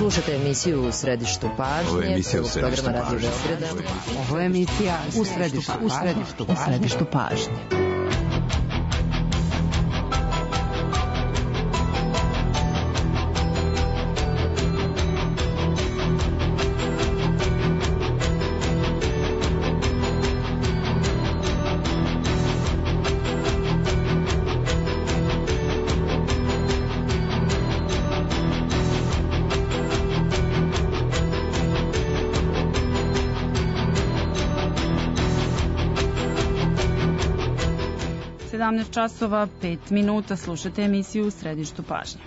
Slušajte emisiju U središtu pažnje. Ovo je emisija U središtu pažnje. Ovo je emisija U središtu pažnje. Časova 5 minuta, slušate emisiju U središtu pažnje.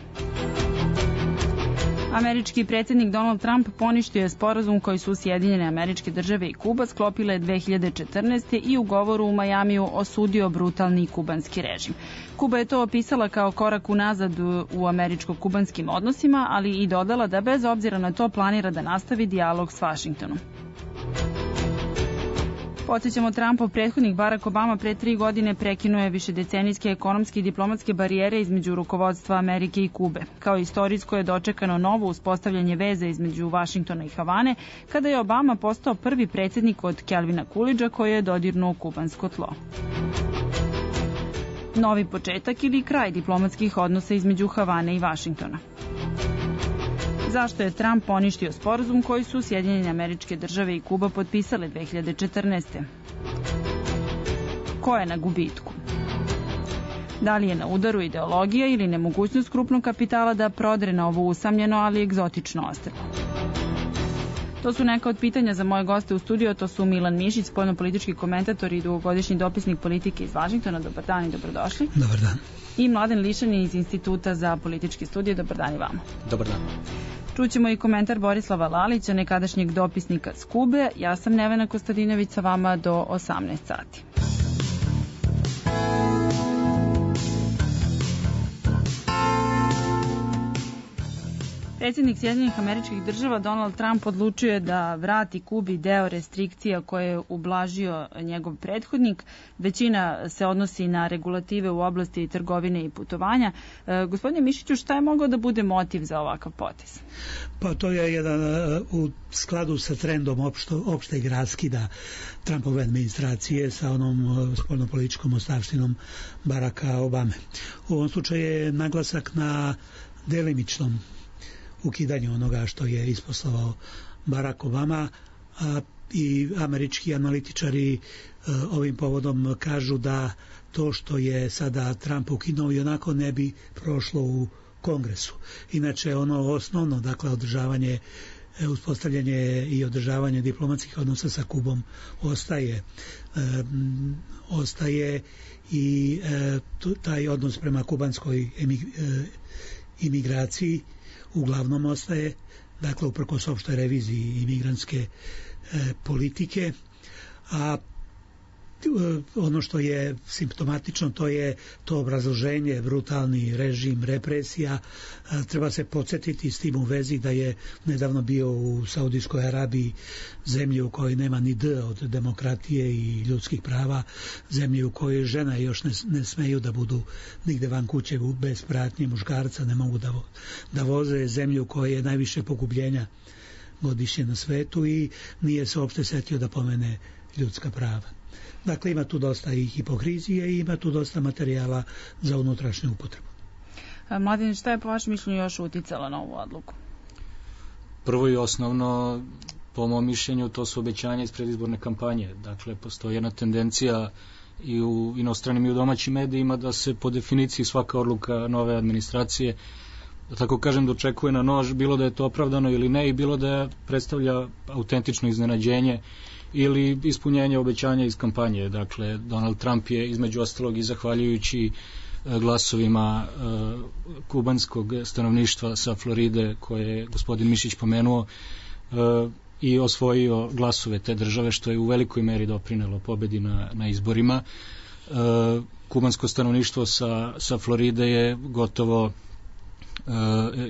Američki predsjednik Donald Trump poništio je sporazum koji su Sjedinjene Američke Države i Kuba sklopile 2014. i u govoru u Majamiju osudio brutalni kubanski režim. Kuba je to opisala kao korak unazad u američko-kubanskim odnosima, ali i dodala da bez obzira na to planira da nastavi dijalog s Vašingtonom. Podsjećamo, Trumpov prethodnik Barack Obama pre 3 godine prekinuje višedecenijske ekonomske i diplomatske barijere između rukovodstva Amerike i Kube. Kao istorijsko je dočekano novo uspostavljanje veze između Vašingtona i Havane, kada je Obama postao prvi predsjednik od Calvina Coolidgea koji je dodirnuo kubansko tlo. Novi početak ili kraj diplomatskih odnosa između Havane i Vašingtona. Zašto je Trump poništio sporazum koji su Sjedinjene Američke Države i Kuba potpisale 2014. Ko je na gubitku? Da li je na udaru ideologija ili nemogućnost krupnog kapitala da prodre na ovo usamljeno, ali egzotično ostrvo? To su neka od pitanja za moje goste u studiju. To su Milan Mišić, spoljnopolitički komentator i dugogodišnji dopisnik politike iz Vašingtona. Dobar dan i dobrodošli. Dobar dan. I Mladen Lišani iz Instituta za političke studije. Dobar dan i vama. Dobar dan. Čućemo i komentar Borislava Lalića, nekadašnjeg dopisnika s Kube. Ja sam Nevena Kostadinović, sa vama do 18 sati. Predsjednik Sjedinjenih Američkih Država Donald Trump odlučio je da vrati Kubi deo restrikcija koje je ublažio njegov prethodnik. Većina se odnosi na regulative u oblasti trgovine i putovanja. Gospodine Mišiću, šta je mogao da bude motiv za ovakav potez? Pa to je jedan u skladu sa trendom opšteg raskida Trumpove administracije sa onom spoljnopolitičkom ostavštinom Baracka Obame. U ovom slučaju je naglasak na delimičnom ukidanju onoga što je isposlovao Barack Obama, i američki analitičari ovim povodom kažu da to što je sada Trump ukinuo i onako ne bi prošlo u Kongresu. Inače ono osnovno, dakle uspostavljanje i održavanje diplomatskih odnosa sa Kubom ostaje i taj odnos prema kubanskoj imigraciji uglavnom ostaje, dakle uprkos opštoj reviziji imigrantske politike, a ono što je simptomatično to je to obrazloženje, brutalni režim, represija. Treba se podsjetiti s tim u vezi da je nedavno bio u Saudijskoj Arabiji, zemlji u kojoj nema ni D od demokratije i ljudskih prava, zemlji u kojoj žena još ne smeju da budu nigde van kuće bez pratnje muškarca, ne mogu da voze, zemlju u kojoj je najviše pogubljenja godišnje na svetu i nije se uopšte setio da pomene ljudska prava. Dakle, ima tu dosta i hipokrizije i ima tu dosta materijala za unutrašnju upotrebu. Mladen, šta je po vašem mišljenju još uticalo na ovu odluku? Prvo i osnovno, po mom mišljenju, to su obećanja iz predizborne kampanje. Dakle, postoji jedna tendencija i u inostranim i u domaćim medijima da se po definiciji svaka odluka nove administracije, da tako kažem, dočekuje na nož, bilo da je to opravdano ili ne, i bilo da predstavlja autentično iznenađenje ili ispunjenje obećanja iz kampanje. Dakle, Donald Trump je između ostalog i zahvaljujući glasovima kubanskog stanovništva sa Floride, koje je gospodin Mišić pomenuo, i osvojio glasove te države, što je u velikoj meri doprinelo pobedi na izborima. Kubansko stanovništvo sa Floride je gotovo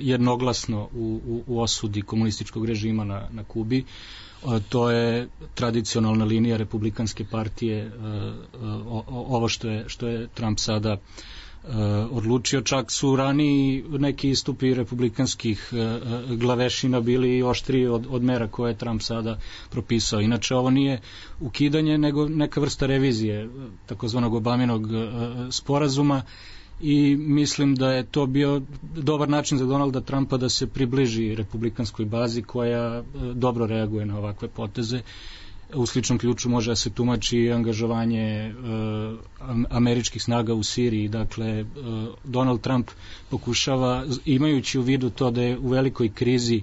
jednoglasno u osudi komunističkog režima na Kubi. To je tradicionalna linija republikanske partije, ovo što je Trump sada odlučio. Čak su raniji neki istupi republikanskih glavešina bili oštriji od mera koje je Trump sada propisao. Inače, ovo nije ukidanje, nego neka vrsta revizije takozvanog Obaminog sporazuma i mislim da je to bio dobar način za Donalda Trumpa da se približi republikanskoj bazi koja dobro reaguje na ovakve poteze. U sličnom ključu može da se tumači angažovanje američkih snaga u Siriji. Dakle, Donald Trump pokušava, imajući u vidu to da je u velikoj krizi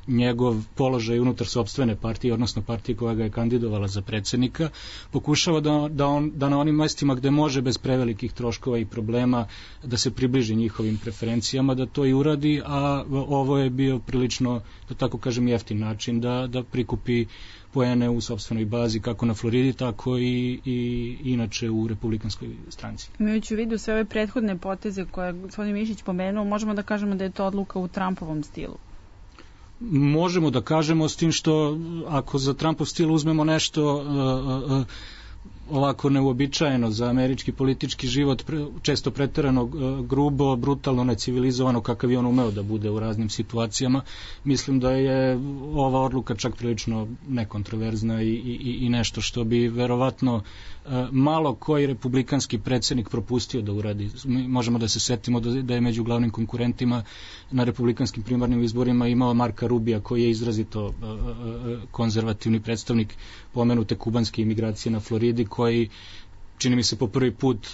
njegov položaj unutar sopstvene partije, odnosno partije koja ga je kandidovala za predsjednika, pokušava da na onim mestima gde može bez prevelikih troškova i problema da se približi njihovim preferencijama, da to i uradi, a ovo je bio prilično, da tako kažem, jeftin način da prikupi poene u sopstvenoj bazi, kako na Floridi, tako i inače u republikanskoj stranci. Imajući u vidu sve ove prethodne poteze koje je gospodin Mišić pomenuo, možemo da kažemo da je to odluka u Trumpovom stilu? Možemo da kažemo, s tim što ako za Trumpov stil uzmemo nešto ovako neuobičajeno za američki politički život, često preterano grubo, brutalno, necivilizovano, kakav je on umeo da bude u raznim situacijama, mislim da je ova odluka čak prilično nekontroverzna i nešto što bi verovatno malo koji republikanski predsjednik propustio da uradi. Možemo da se setimo da je među glavnim konkurentima na republikanskim primarnim izborima imao Marka Rubija, koji je izrazito konzervativni predstavnik pomenute kubanske imigracije na Floridi, koji, čini mi se, po prvi put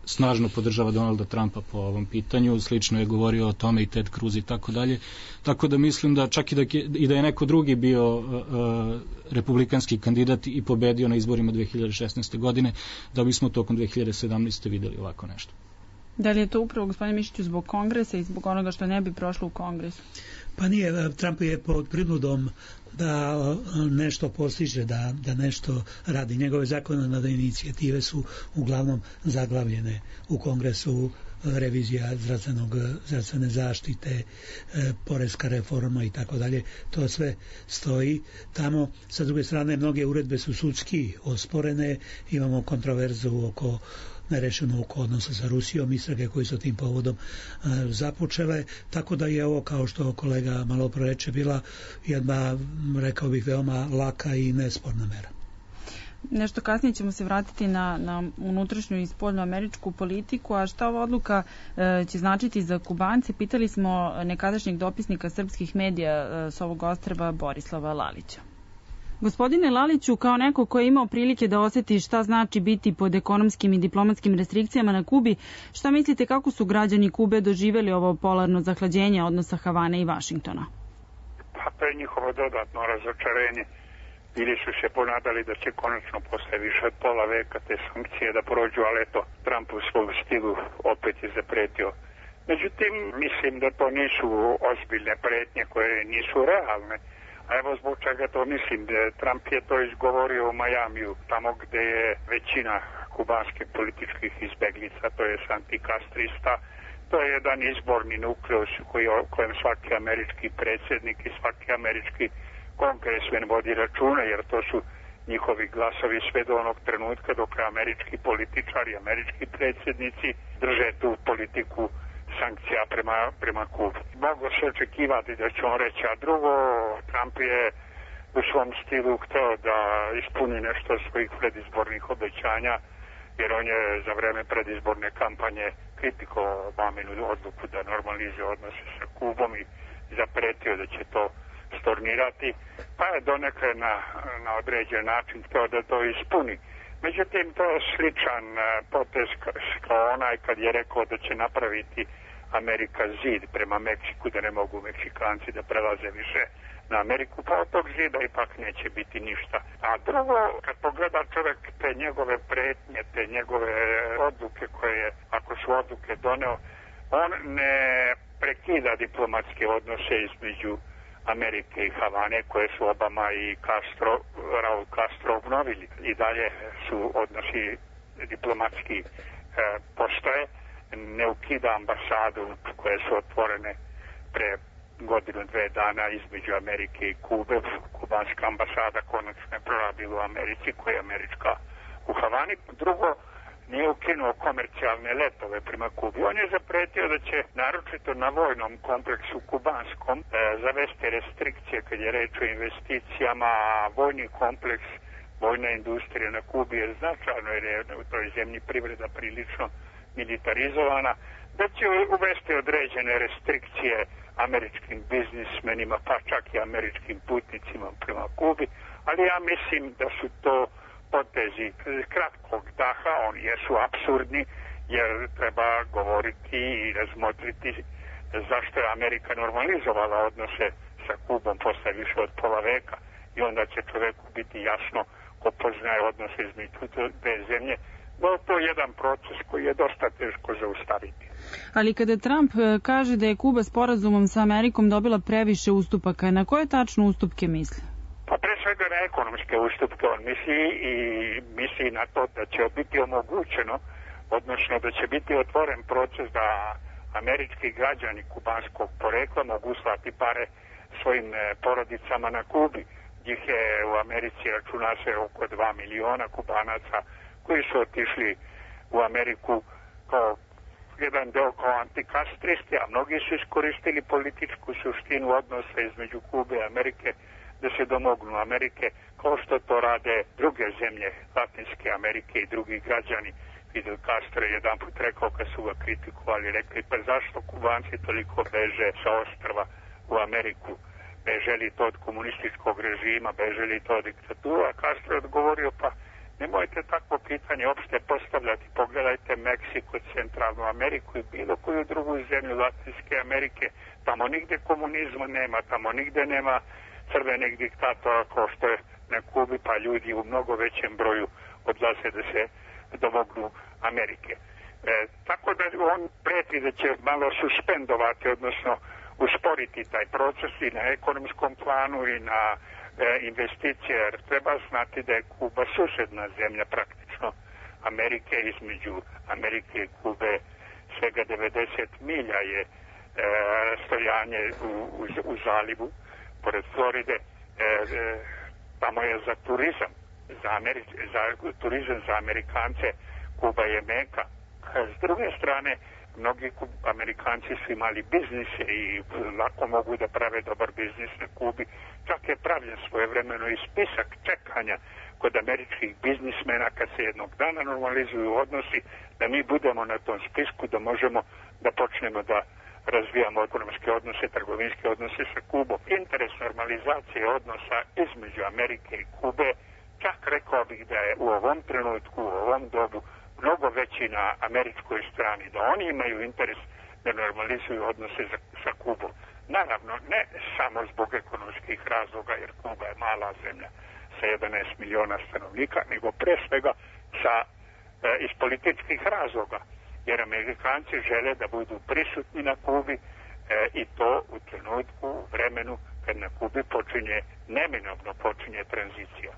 snažno podržava Donalda Trumpa po ovom pitanju. Slično je govorio o tome i Ted Cruz i tako dalje. Tako da mislim da čak i da je neko drugi bio republikanski kandidat i pobedio na izborima 2016. godine, da bismo tokom 2017. videli ovako nešto. Da li je to upravo, gospodine Mišiću, zbog kongresa i zbog onoga što ne bi prošlo u kongresu? Pa nije, Trump je pod prinudom da nešto postiže, da nešto radi. Njegove zakonodavne inicijative su uglavnom zaglavljene u kongresu, revizija zdravstvene zaštite, poreska reforma i tako dalje. To sve stoji tamo. Sa druge strane, mnoge uredbe su sudski osporene, imamo kontroverzu oko nerešeno oko odnosa sa Rusijom, istrage koje su tim povodom započele, tako da je ovo, kao što kolega malo pre reče, bila jedna, rekao bih, veoma laka i nesporna mera. Nešto kasnije ćemo se vratiti na unutrašnju i spoljnu američku politiku, a šta ova odluka će značiti za Kubance? Pitali smo nekadašnjeg dopisnika srpskih medija s ovog ostrva Borislava Lalića. Gospodine Laliću, kao neko ko je imao prilike da osjeti šta znači biti pod ekonomskim i diplomatskim restrikcijama na Kubi, šta mislite kako su građani Kube doživjeli ovo polarno zahlađenje odnosa Havane i Vašingtona? Pa to je njihovo dodatno razočarenje. Ili su se ponadali da će konačno posle više od pola veka te sankcije da prođu, ali eto, Trump u svom stilu opet je zapretio. Međutim, mislim da to nisu ozbiljne pretnje koje nisu realne. A evo zbog čega to mislim. Trump je to izgovorio u Majamiju, tamo gde je većina kubanskih političkih izbeglica, to je antikastrista. To je jedan izborni nukleus kojem svaki američki predsjednik i svaki američki kongresmen vodi računa, jer to su njihovi glasovi sve do onog trenutka dok američki političari, američki predsjednici drže tu politiku sankcija prema Kubi. Mogu se očekivati da će on reći, a drugo, Trump je u svom stilu hteo da ispuni nešto svojih predizbornih obećanja, jer on je za vreme predizborne kampanje kritikovao Obaminu odluku da normalizuje odnose sa Kubom i zapretio da će to stornirati, pa je donekle na određen način hteo da to ispuni. Međutim, to je sličan potez kao onaj kad je rekao da će napraviti Amerika zid prema Meksiku, da ne mogu Meksikanci da prelaze više na Ameriku, pa od tog zida ipak neće biti ništa. A drugo, kad pogleda čovjek te njegove pretnje, te njegove odluke koje, ako su odluke doneo, on ne prekida diplomatske odnose između Amerike i Havane, koje su Obama i Raul Castro obnovili. I dalje su odnosi diplomatski postoje. Ne ukida ambasadu koje su otvorene pre godinu, 2 dana između Amerike i Kube. Kubanska ambasada konačno je prorabila u Americi, koja je američka u Havani. Drugo, nije ukinuo komercijalne letove prema Kubi. On je zapretio da će naročito na vojnom kompleksu kubanskom zavesti restrikcije kad je reč o investicijama, a vojni kompleks, vojna industrija na Kubi je značajno jer je u toj zemlji privreda prilično militarizovana, da će uvesti određene restrikcije američkim biznismenima, pa čak i američkim putnicima prema Kubi, ali ja mislim da su to potezi kratkog daha, oni jesu apsurdni, jer treba govoriti i razmotriti zašto je Amerika normalizovala odnose sa Kubom posle više od pola veka i onda će čoveku biti jasno ko poznaje odnose između dve zemlje, da je to jedan proces koji je dosta teško zaustaviti. Ali kada Trump kaže da je Kuba sporazumom sa Amerikom dobila previše ustupaka, na koje tačno ustupke misli? Pa pre svega na ekonomske ustupke on misli na to da će biti omogućeno, odnosno da će biti otvoren proces da američki građani kubanskog porekla mogu slati pare svojim porodicama na Kubi. Njih je u Americi računa se oko 2 miliona Kubanaca koji su otišli u Ameriku kao jedan deo kao antikastristi, a mnogi su iskoristili političku suštinu odnosa između Kube i Amerike da se domognu Amerike, kao što to rade druge zemlje Latinske Amerike i drugi građani. Fidel Castro je jedan put rekao kad su ga kritikovali, rekli pa zašto Kubanci toliko beže sa ostrva u Ameriku, beže li to od komunističkog režima, beže li to od diktatura. Castro je odgovorio pa nemojte takvo pitanje opšte postavljati, pogledajte Meksiko, Centralnu Ameriku i bilo koju drugu zemlju Latinske Amerike, tamo nigde komunizma nema, tamo nigde nema crvenih diktatora kao što je na Kubi, pa ljudi u mnogo većem broju odlaze da se domognu Amerike. Tako da on preti da će malo suspendovati, odnosno usporiti taj proces i na ekonomskom planu i na investicije, jer treba znati da je Kuba susedna zemlja praktično Amerike, između Amerike i Kube svega 90 milja je rastojanje u zalivu pored Floride, tamo je za turizam, turizam za Amerikance, Kuba je meka. S druge strane, mnogi Amerikanci su imali biznise i lako mogu da prave dobar biznis na Kubi. Čak je pravljen svojevremeno i spisak čekanja kod američkih biznismena kad se jednog dana normalizuju odnosi, da mi budemo na tom spisku, da možemo da počnemo da razvijamo ekonomske odnose, trgovinske odnose sa Kubom. Interes normalizacije odnosa između Amerike i Kube, čak rekao bih da je u ovom trenutku, u ovom dobu, mnogo veći na američkoj strani, da oni imaju interes da normalizuju odnose sa Kubom. Naravno, ne samo zbog ekonomskih razloga, jer Kuba je mala zemlja sa 11 miliona stanovnika, nego pre svega iz političkih razloga, jer Amerikanci žele da budu prisutni na Kubi i to u trenutku, u vremenu kad na Kubi neminovno počinje tranzicija.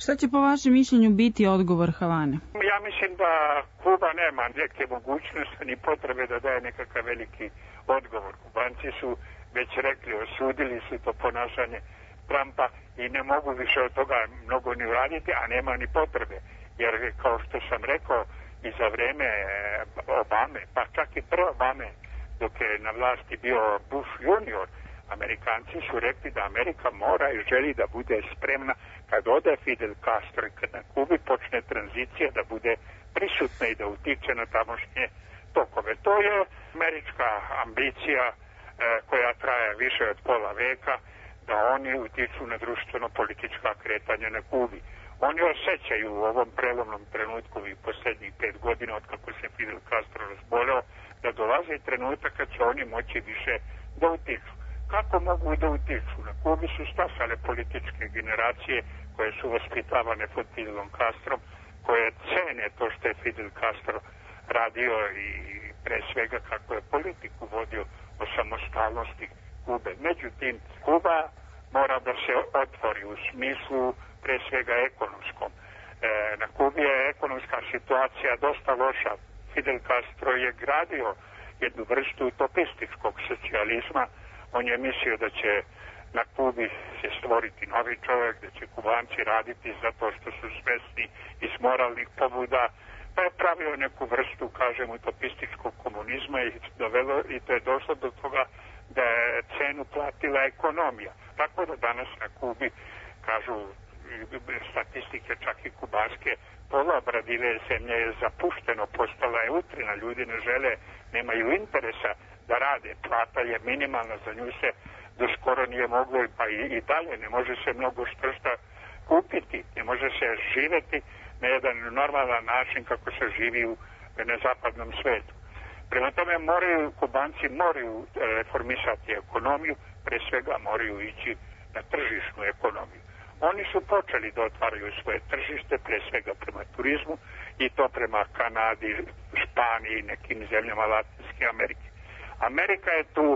Šta će po vašem mišljenju biti odgovor Havane? Ja mislim da Kuba nema neke mogućnosti ni potrebe da daje nekakav veliki odgovor. Kubanci su već rekli, osudili su to ponašanje Trumpa i ne mogu više od toga mnogo ni uraditi, a nema ni potrebe. Jer kao što sam rekao, i za vreme Obame, pa čak i pre Obame, dok je na vlasti bio Bush junior, Amerikanci su rekli da Amerika mora i želi da bude spremna kad ode Fidel Castro i kad na Kubi počne tranzicija da bude prisutna i da utiče na tamošnje tokove. To je američka ambicija koja traje više od pola veka, da oni utiču na društveno-politička kretanja na Kubi. Oni osjećaju u ovom prelomnom trenutku i posljednjih 5 godina od kako se Fidel Castro razboleo, da dolazi trenutak kad će oni moći više da utiču. Kako mogu da utiču? Na Kubi su stasale političke generacije koje su vaspitavane pod Fidelom Castrom, koje cene to što je Fidel Castro radio i pre svega kako je politiku vodio o samostalnosti Kube. Međutim, Kuba mora da se otvori u smislu pre svega ekonomskom. Na Kubi je ekonomska situacija dosta loša. Fidel Castro je gradio jednu vrstu utopističkog socijalizma. On je mislio da će na Kubi se stvoriti novi čovjek, da će Kubanci raditi zato što su svesni iz moralnih pobuda, pa je pravio neku vrstu, kažem, utopističkog komunizma i to je došlo do toga da je cenu platila ekonomija. Tako da danas na Kubi, kažu statistike čak i kubanske, pola Brazile zemlje je zapušteno, postala je utrina, ljudi ne žele, nemaju interesa da rade, plata je minimalna, za nju se do skoro nije moglo, pa i dalje ne može se mnogo štršta kupiti, ne može se živeti na jedan normalan način kako se živi na zapadnom svetu. Prema tome Kubanci moraju reformisati ekonomiju, pre svega moraju ići na tržišnu ekonomiju. Oni su počeli da otvaraju svoje tržište, pre svega prema turizmu, i to prema Kanadi, Španiji i nekim zemljama Latinske Amerike. Amerika je tu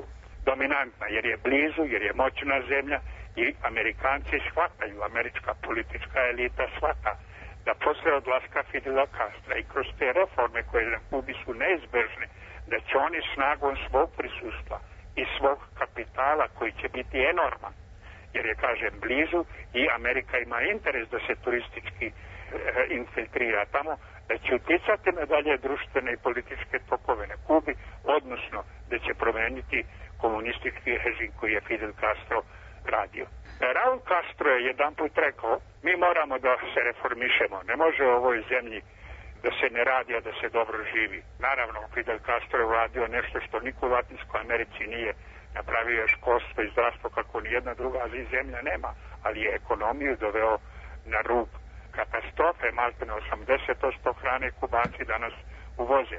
dominantna jer je blizu, jer je moćna zemlja i Amerikanci shvataju, američka politička elita shvata da posle odlaska Fidela Castra i kroz te reforme koje na Kubi su neizbežne, da će oni snagom svog prisustva i svog kapitala koji će biti enorman, jer je, kažem, blizu i Amerika ima interes da se turistički infiltrira tamo, da će uticati na dalje društvene i političke tokove na Kubi, odnosno da će promeniti komunistički režim koji je Fidel Castro radio. Raul Castro je jedan put rekao, mi moramo da se reformišemo, ne može u ovoj zemlji da se ne radi, a da se dobro živi. Naravno, Fidel Castro je uradio nešto što niko u Latinskoj Americi nije. Napravio je školstvo i zdravstvo kako nijedna druga zemlja nema, ali je ekonomiju doveo na rub katastrofe, maltene 80% hrane Kubanci danas uvoze.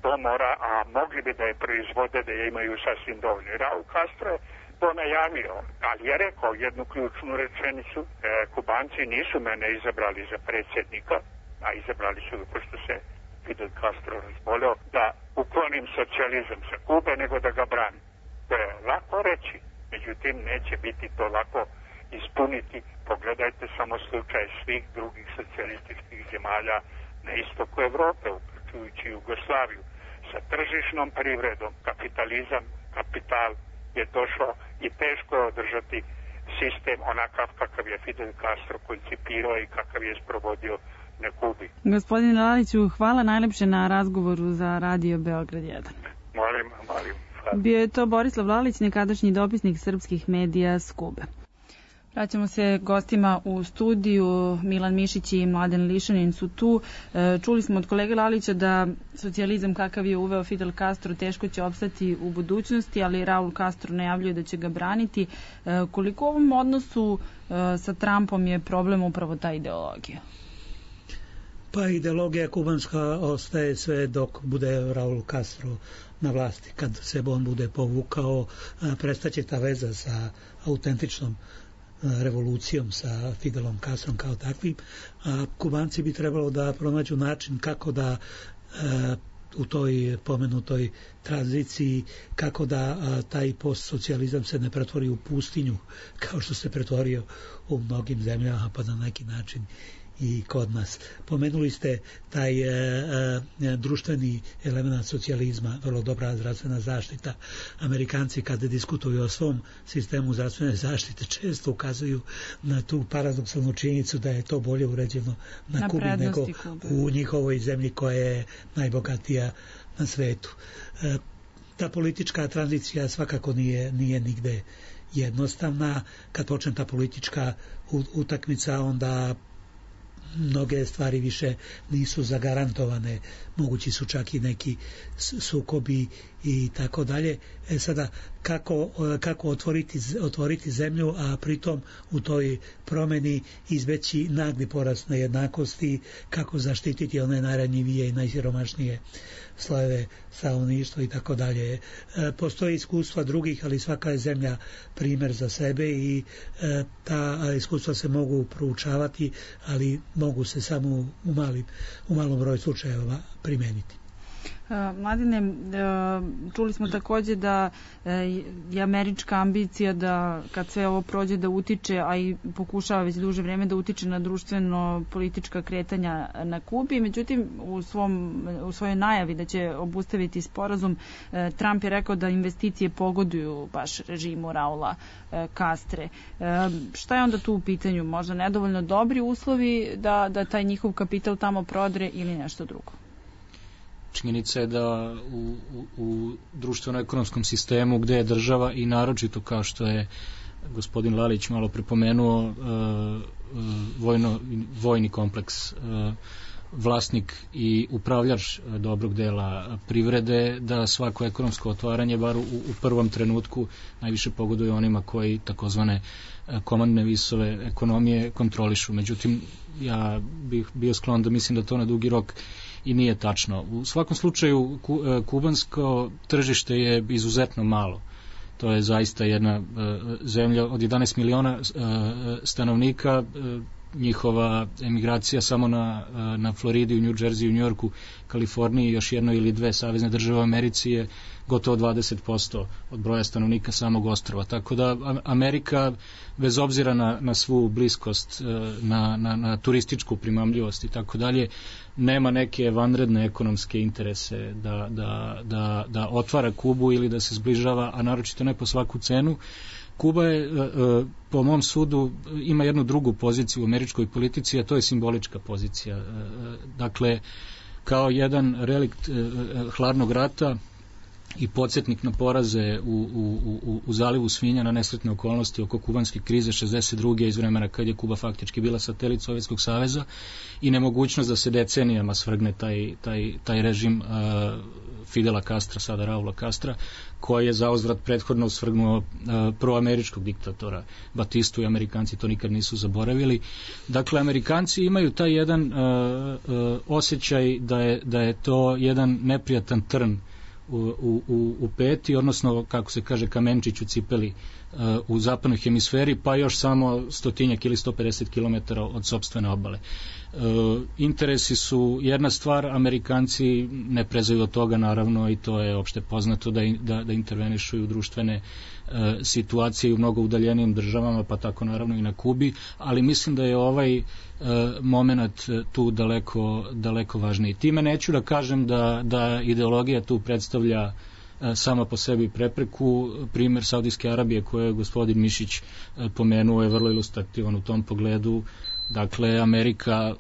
To mora, a mogli bi da je proizvode, da je imaju sasvim dovoljno. Raul Castro je to najavio, ali je rekao jednu ključnu rečenicu, Kubanci nisu mene izabrali za predsjednika, a izabrali su ga pošto se Fidel Castro razboleo, da uklonim socijalizam sa Kube, nego da ga branim. To je lako reći, međutim neće biti to lako ispuniti. Pogledajte samo slučaj svih drugih socijalističkih zemalja na istoku Evrope, uključujući Jugoslaviju. Sa tržišnom privredom, kapitalizam, kapital je došao i teško je održati sistem onakav kakav je Fidel Castro koncipirao i kakav je sprovodio na Kubi. Gospodine Laliću, hvala najlepše na razgovoru za Radio Beograd 1. Molim. Bio je to Borislav Lalić, nekadašnji dopisnik srpskih medija s Kube. Vraćamo se gostima u studiju. Milan Mišić i Mladen Lišanin su tu. Čuli smo od kolege Lalića da socijalizam kakav je uveo Fidel Castro teško će opstati u budućnosti, ali Raul Castro najavljuje da će ga braniti. Koliko u ovom odnosu sa Trumpom je problem upravo ta ideologija? Pa ideologija kubanska ostaje sve dok bude Raul Castro na vlasti. Kad se on bude povukao, prestaće ta veza sa autentičnom revolucijom, sa Fidelom Castrom kao takvim, a Kubanci bi trebalo da pronađu način kako da u toj pomenutoj tranziciji, kako da taj postsocijalizam se ne pretvori u pustinju, kao što se pretvorio u mnogim zemljama, pa na neki način i kod nas. Pomenuli ste taj društveni element socijalizma, vrlo dobra zdravstvena zaštita. Amerikanci kada diskutuju o svom sistemu zdravstvene zaštite često ukazuju na tu paradoksalnu činjenicu da je to bolje uređeno na Kubi nego u njihovoj zemlji koja je najbogatija na svetu. Ta politička tranzicija svakako nije nigde jednostavna. Kad počne ta politička utakmica, onda mnoge stvari više nisu zagarantovane, mogući su čak i neki sukobi i tako dalje. Sada, kako otvoriti zemlju, a pritom u toj promeni izbeći nagli porast nejednakosti, kako zaštititi one najranjivije i najsiromašnije slojeve stanovništva i tako dalje. Postoji iskustva drugih, ali svaka je zemlja primer za sebe i ta iskustva se mogu proučavati, ali mogu se samo u malom broju slučajeva primeniti. Mladine, čuli smo takođe da je američka ambicija da kad sve ovo prođe da utiče, a i pokušava već duže vreme da utiče na društveno-politička kretanja na Kubi. Međutim, u svojoj najavi da će obustaviti sporazum, Trump je rekao da investicije pogoduju baš režimu Raula Castre. Šta je onda tu u pitanju? Možda nedovoljno dobri uslovi da taj njihov kapital tamo prodre ili nešto drugo? Činjenica je da u društveno-ekonomskom sistemu gde je država i naročito kao što je gospodin Lalić malo prepomenuo vojni kompleks vlasnik i upravljač dobrog dela privrede, da svako ekonomsko otvaranje bar u prvom trenutku najviše pogoduje onima koji takozvane komandne visove ekonomije kontrolišu. Međutim, ja bih bio sklon da mislim da to na dugi rok i nije tačno. U svakom slučaju kubansko tržište je izuzetno malo. To je zaista jedna zemlja od 11 miliona stanovnika. Njihova emigracija samo na Floridi, u New Jersey, u New Yorku, Kaliforniji, još jedno ili dve savezne države u Americi je gotovo 20% od broja stanovnika samog ostrva. Tako da Amerika, bez obzira na svu bliskost, na turističku primamljivost i tako dalje, nema neke vanredne ekonomske interese da otvara Kubu ili da se zbližava, a naročito ne po svaku cenu. Kuba je, po mom sudu, ima jednu drugu poziciju u američkoj politici, a to je simbolička pozicija. Dakle, kao jedan relikt hladnog rata i podsjetnik na poraze u zalivu Svinja, na nesretne okolnosti oko kubanske krize 62. iz vremena kad je Kuba faktički bila satelit Sovjetskog saveza i nemogućnost da se decenijama svrgne taj režim Fidela Castra, sada Raula Castra, koji je zauzvrat prethodno svrgnuo proameričkog diktatora Batistu i Amerikanci to nikad nisu zaboravili. Dakle, Amerikanci imaju taj jedan osjećaj da je to jedan neprijatan trn u peti, odnosno, kako se kaže, kamenčić u cipeli u zapadnoj hemisferi, pa još samo 100 ili 150 km od sopstvene obale. Interesi su jedna stvar, Amerikanci ne prezaju od toga, naravno, i to je opšte poznato da intervenišu u društvene situacije u mnogo udaljenijim državama, pa tako naravno i na Kubi, ali mislim da je ovaj moment tu daleko važniji. Time neću da kažem da ideologija tu predstavlja sama po sebi prepreku. Primer Saudijske Arabije koje je gospodin Mišić pomenuo je vrlo ilustrativan u tom pogledu. Dakle, Amerika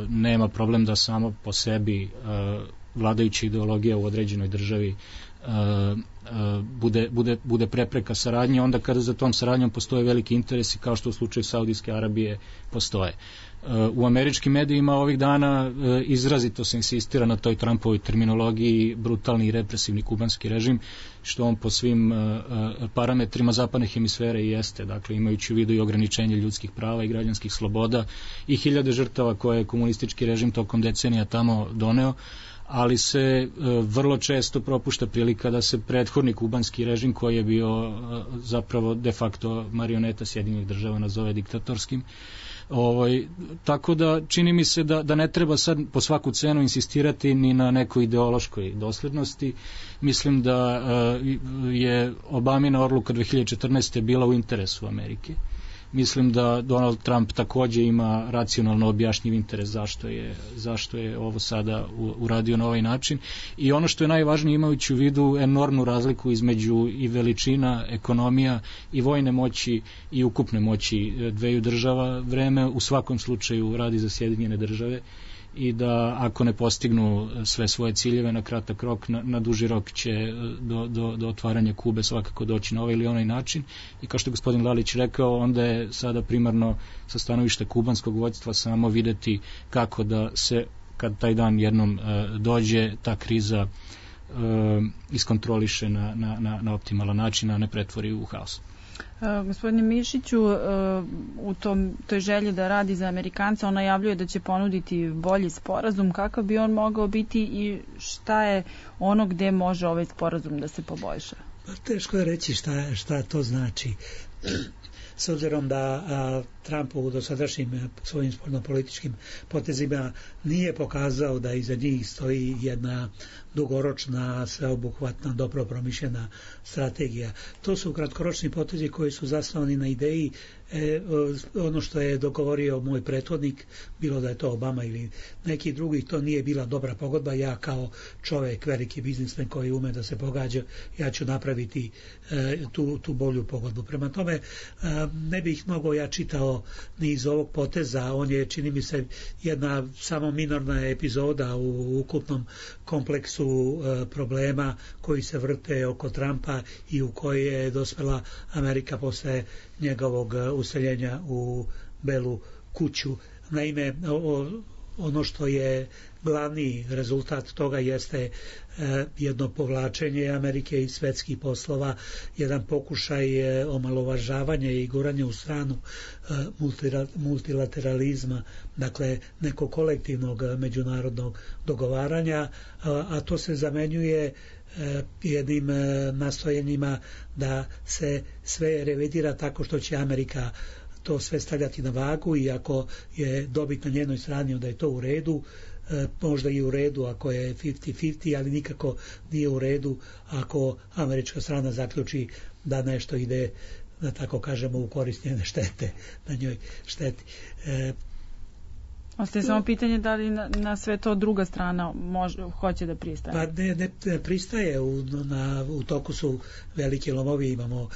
nema problem da samo po sebi vladajuća ideologija u određenoj državi bude prepreka saradnje, onda kada za tom saradnjom postoje veliki interesi, kao što u slučaju Saudijske Arabije postoje. U američkim medijima ovih dana izrazito se insistira na toj Trumpovoj terminologiji brutalni i represivni kubanski režim, što on po svim parametrima zapadne hemisfere i jeste, dakle imajući u vidu i ograničenje ljudskih prava i građanskih sloboda i hiljade žrtava koje je komunistički režim tokom decenija tamo doneo, ali se vrlo često propušta prilika da se prethodni kubanski režim, koji je bio zapravo de facto marioneta Sjedinjenih država, nazove diktatorskim. Tako da čini mi se da ne treba sad po svaku cenu insistirati ni na nekoj ideološkoj doslednosti. Mislim da je Obamina odluka 2014. bila u interesu Amerike. Mislim da Donald Trump takođe ima racionalno objašnjiv interes zašto je ovo sada uradio na ovaj način. I ono što je najvažnije, imajući u vidu enormnu razliku između i veličina ekonomija i vojne moći i ukupne moći dveju država, vreme u svakom slučaju radi za Sjedinjene države i da ako ne postignu sve svoje ciljeve na kratak rok, na duži rok će do otvaranja Kube svakako doći na ovaj ili onaj način. I kao što je gospodin Lalić rekao, onda je sada primarno sa stanovišta kubanskog vođstva samo videti kako da se, kad taj dan jednom dođe, ta kriza iskontroliše na optimalan način, a ne pretvori u haos. Gospodine Mišiću, u toj želji da radi za Amerikanca, on najavljuje da će ponuditi bolji sporazum. Kakav bi on mogao biti i šta je ono gde može ovaj sporazum da se poboljša? Pa teško je reći šta to znači. S obzirom da Trump u dosadašnjim svojim spoljnopolitičkim potezima nije pokazao da iza njih stoji jedna dugoročna, sveobuhvatna, dobro promišljena strategija. To su kratkoročni potezi koji su zasnovani na ideji ono što je dogovorio moj prethodnik, bilo da je to Obama ili neki drugi, to nije bila dobra pogodba. Ja kao čovjek, veliki biznismen koji ume da se pogađa, ja ću napraviti tu bolju pogodbu. Prema tome, ne bih mnogo ja čitao ni iz ovog poteza. On je, čini mi se, jedna samo minorna epizoda u ukupnom kompleksu problema koji se vrte oko Trumpa i u koje je dospela Amerika posle njegovog useljenja u Belu kuću. Naime, ono što je glavni rezultat toga jeste jedno povlačenje Amerike iz svetskih poslova, jedan pokušaj omalovažavanja i guranja u stranu multilateralizma, dakle nekog kolektivnog međunarodnog dogovaranja, a to se zamenjuje jednim nastojanjima da se sve revidira tako što će Amerika to sve stavljati na vagu i ako je dobit na njenoj strani onda je to u redu, možda i u redu ako je 50-50, ali nikako nije u redu ako američka strana zaključi da nešto ide, da tako kažemo, u korist njene štete, na njoj šteti. Ostaje samo pitanje da li na sve to druga strana hoće da pristaje. Pa ne pristaje, u toku su veliki lomovi. Imamo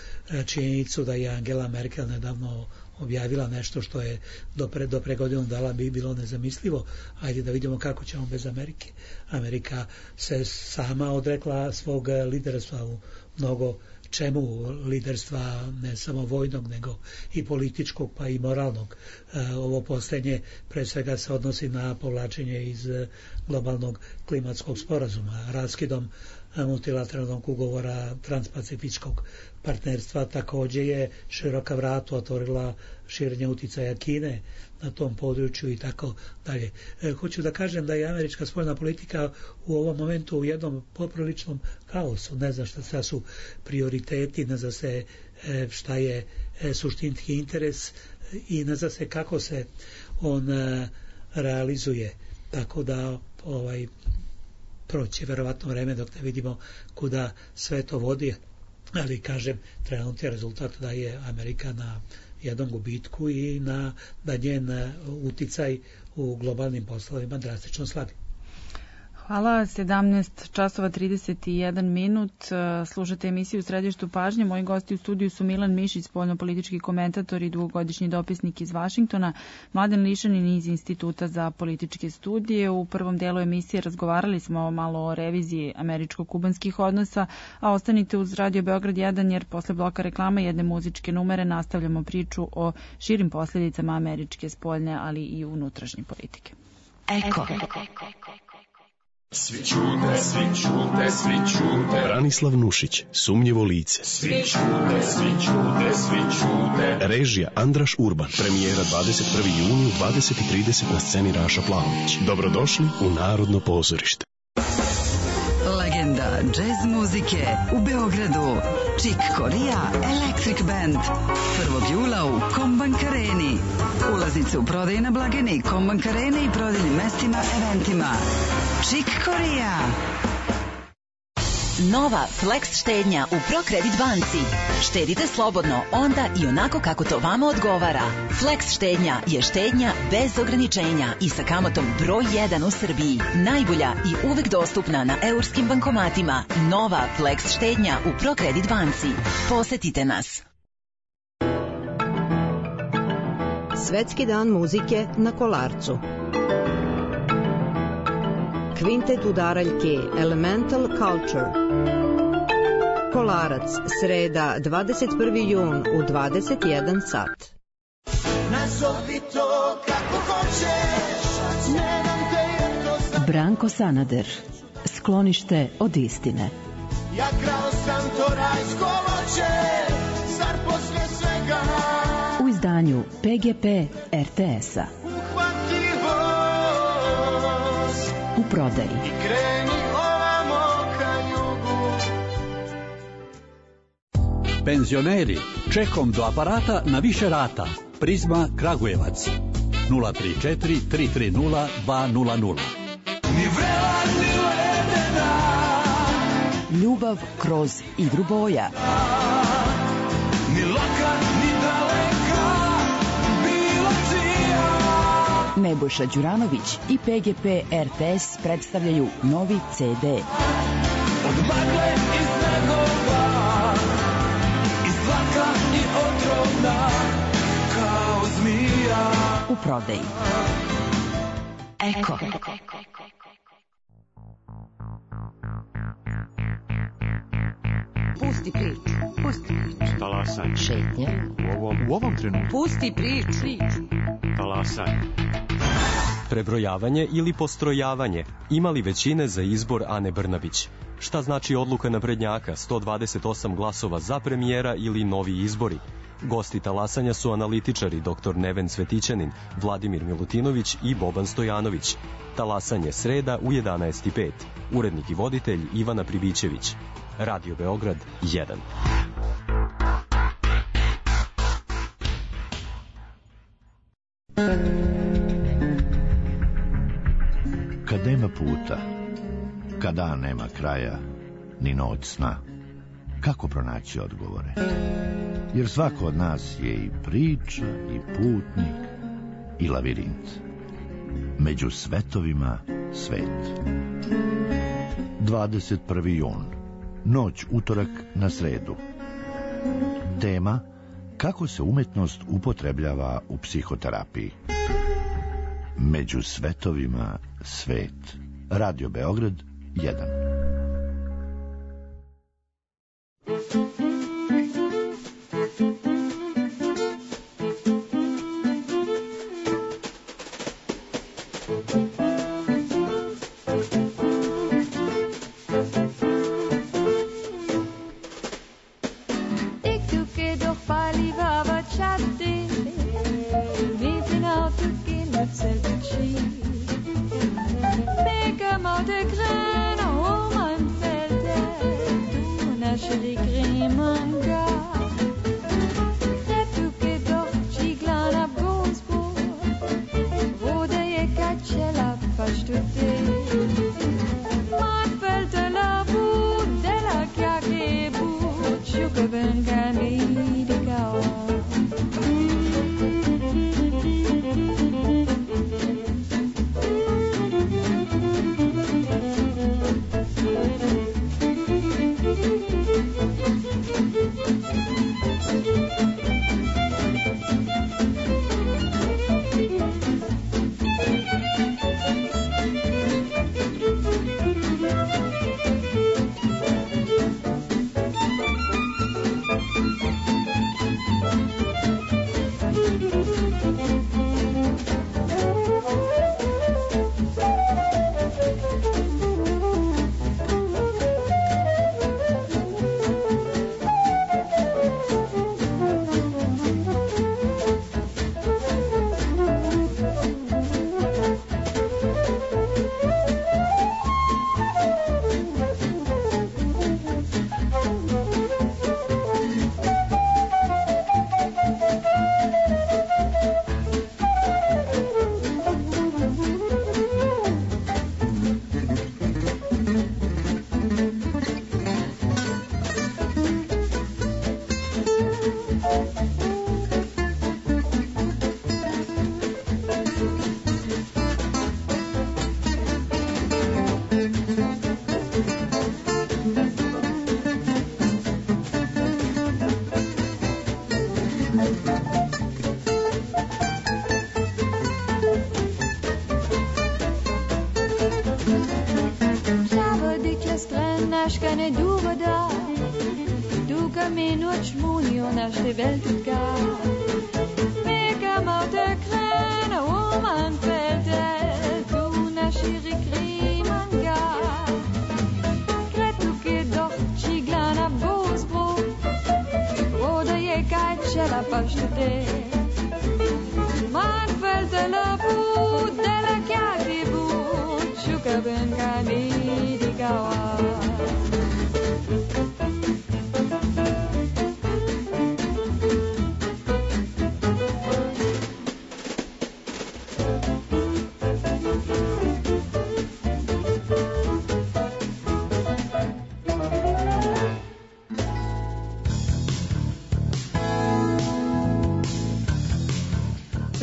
činjenicu da je Angela Merkel nedavno objavila nešto što je do pre godinu dana bi bilo nezamislivo. Ajde da vidimo kako ćemo bez Amerike. Amerika se sama odrekla svog liderstva u mnogo čemu, liderstva ne samo vojnog nego i političkog pa i moralnog. Ovo posljednje pre svega se odnosi na povlačenje iz globalnog klimatskog sporazuma, raskidom multilateralnog ugovora transpacifičkog partnerstva. Također je široka vrata otvorila širenje uticaja Kine na tom području i tako dalje. Hoću da kažem da je američka spoljna politika u ovom momentu u jednom popriličnom kaosu. Ne zna šta su prioriteti, ne zna se šta je suštinski interes i ne zna se kako se on realizuje. Tako da proći verovatno vreme dok ne vidimo kuda sve to vodi, ali kažem, trenutni rezultat da je Amerika na jednom gubitku i da njen uticaj u globalnim poslovima drastično slabi. Hvala, 17 časova 31 minut. Slušate emisiju u Središtu pažnje. Moji gosti u studiju su Milan Mišić, spoljnopolitički komentator i dugogodišnji dopisnik iz Vašingtona, Mladen Lišanin iz Instituta za političke studije. U prvom delu emisije razgovarali smo malo o reviziji američko-kubanskih odnosa, a ostanite uz Radio Beograd 1 jer posle bloka reklama jedne muzičke numere nastavljamo priču o širim posljedicama američke spoljne, ali i unutrašnje politike. Eko. Svi čute, svi čute, svi čute. Branislav Nušić, Sumnjivo lice. Svi čute, svi čute, svi čute. Režija Andraš Urban. Premijera 21. juni u 20:30 na sceni Raša Plavović. Dobrodošli u Narodno pozorište. Legenda džez muzike u Beogradu. Chick Corea Electric Band. 1. jula u Kombank Areni. Ulaznice u prodaji na blagajni Kombank Arene i prodajnim mestima, eventima. Chick Corea. Nova Flex štednja u ProCredit banci. Štedite slobodno onda i onako kako to vama odgovara. Flex štednja je štednja bez ograničenja i sa kamatom broj 1 u Srbiji. Najbolja i uvek dostupna na eurskim bankomatima. Nova Flex štednja u ProCredit banci. Posetite nas. Svetski dan muzike na Kolarcu. Kvintet udaraljke Elemental Culture. Kolarac, sreda, 21. jun u 21 sat. Nazovi to kako hoćeš, ne dam te jer to sam. Branko Sanader, Sklonište od istine. Ja krao sam to rajsko voće, zar posle svega. U izdanju PGP RTS-a. U prodaji. Kreni ovamo ka jugu. Penzioneri, čekom do aparata na više rata. Prizma Kragujevac 034 330 200. Ljubav kroz igru boja. Ni laka, ni daleka, bila čija. Nebojša Đuranović i PGP RTS predstavljaju novi CD. Od magle i snegova, iz zlaka i otrovna, kao zmija. U prodaji. Eko. Pusti priču. Pusti priču. Talasanje. Šetnja. U ovom trenutku. Pusti priču. Talasanje. Prebrojavanje ili postrojavanje. Imali većine za izbor Ane Brnabić? Šta znači odluka naprednjaka, 128 glasova za premijera ili novi izbori? Gosti talasanja su analitičari dr. Neven Cvetićanin, Vladimir Milutinović i Boban Stojanović. Talasanje sreda u 11:05. Urednik i voditelj Ivana Pribićević. Radio Beograd 1. Kad nema puta, kad dan nema kraja, ni noć sna, kako pronaći odgovore? Jer svako od nas je i priča, i putnik, i lavirint. Među svetovima svet. 21. jun. Noć utorak na sredu. Tema: kako se umetnost upotrebljava u psihoterapiji. Među svetovima svet. Radio Beograd 1.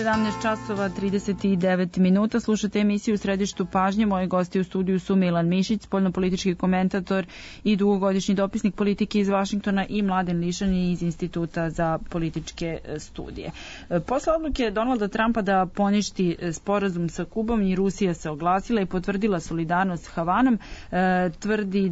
17 časova 39 minuta. Slušate emisiju u Središtu pažnje. Moji gosti u studiju su Milan Mišić, spoljnopolitički komentator i dugogodišnji dopisnik politike iz Vašingtona, i Mladen Lišani iz Instituta za političke studije. Posle odluke Donalda Trumpa da poništi sporazum sa Kubom, i Rusija se oglasila i potvrdila solidarnost s Havanom. Tvrdi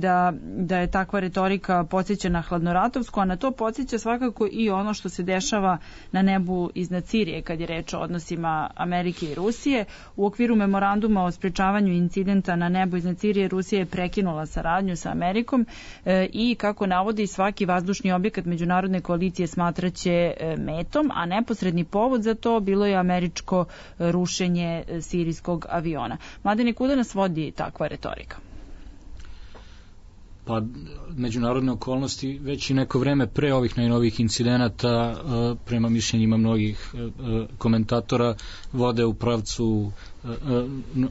da je takva retorika podsjeća na hladnoratovsku, a na to podsjeća svakako i ono što se dešava na nebu iznad Sirije kad je reč o odnosima Amerike i Rusije. U okviru memoranduma o sprečavanju incidenta na nebu iznad Sirije, Rusija je prekinula saradnju sa Amerikom i, kako navodi, svaki vazdušni objekat međunarodne koalicije smatraće metom, a neposredni povod za to bilo je američko rušenje sirijskog aviona. Mladene, kuda nas vodi takva retorika? Pa, međunarodne okolnosti već i neko vreme pre ovih najnovijih incidenata, prema mišljenjima mnogih komentatora, vode u pravcu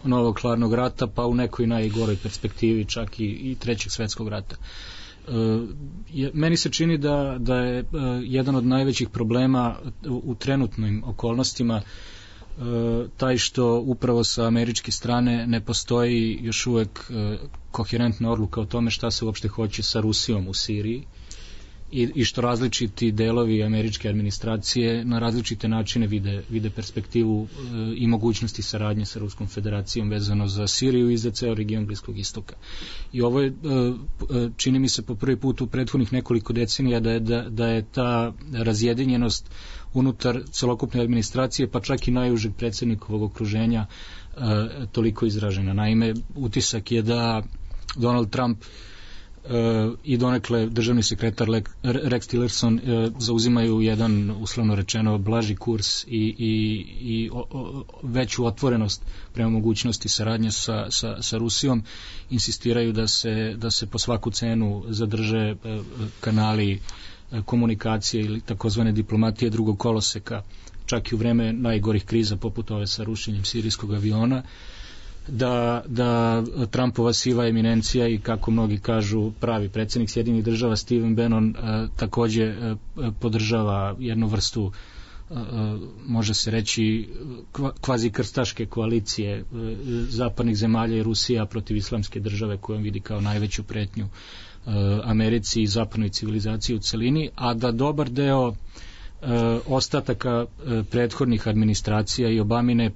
novog hladnog rata, pa u nekoj najgoroj perspektivi čak i trećeg svetskog rata. Meni se čini da je jedan od najvećih problema u trenutnim okolnostima taj što upravo sa američke strane ne postoji još uvek koherentna odluka o tome šta se uopšte hoće sa Rusijom u Siriji i što različiti delovi američke administracije na različite načine vide perspektivu i mogućnosti saradnje sa Ruskom federacijom vezano za Siriju i za ceo region Bliskog istoka. I ovo je, čini mi se, po prvi put u prethodnih nekoliko decenija da je ta razjedinjenost unutar celokupne administracije, pa čak i najužeg predsjednikovog okruženja, toliko izražena. Naime, utisak je da Donald Trump i donekle državni sekretar Rex Tillerson zauzimaju jedan, uslovno rečeno, blaži kurs i veću otvorenost prema mogućnosti saradnje sa Rusijom. Insistiraju da se po svaku cenu zadrže kanali komunikacije ili takozvane diplomatije drugog koloseka, čak i u vreme najgorih kriza poput ove sa rušenjem sirijskog aviona, da Trumpova siva eminencija i, kako mnogi kažu, pravi predsjednik Sjedinjenih država Stephen Bannon takođe podržava jednu vrstu, može se reći, kvazi krstaške koalicije zapadnih zemalja i Rusija protiv islamske države, kojom vidi kao najveću pretnju Americi i zapadnoj civilizaciji u celini, a da dobar deo ostataka prethodnih administracija i Obamine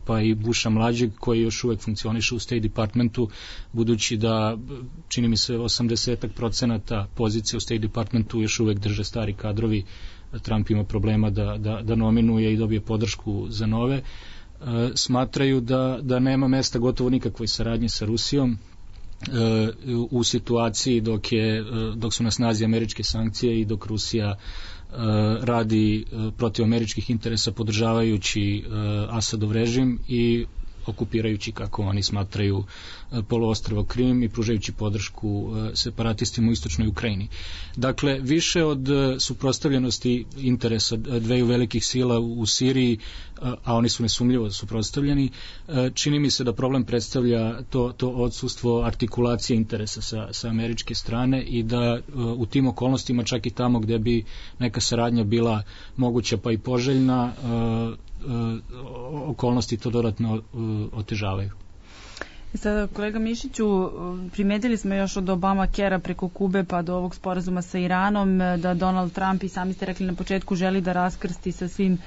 pa i Busha mlađeg, koji još uvek funkcioniše u State Departmentu, budući da, čini mi se, 80% pozicije u State Departmentu još uvek drže stari kadrovi. Trump ima problema da nominuje i dobije podršku za nove. Smatraju da nema mesta gotovo nikakvoj saradnji sa Rusijom u situaciji dok su na snazi američke sankcije i dok Rusija radi protiv američkih interesa, podržavajući Asadov režim i okupirajući, kako oni smatraju, poluostrvo Krim i pružajući podršku separatistima u istočnoj Ukrajini. Dakle, više od suprotstavljenosti interesa dveju velikih sila u Siriji, a oni su nesumljivo suprotstavljeni, čini mi se da problem predstavlja to odsustvo artikulacije interesa sa američke strane i da u tim okolnostima, čak i tamo gde bi neka saradnja bila moguća pa i poželjna, okolnosti to dodatno otežavaju. Sada, kolega Mišiću, primetili smo još od Obama-Kera preko Kube pa do ovog sporazuma sa Iranom da Donald Trump, i sami ste rekli na početku, želi da raskrsti sa svim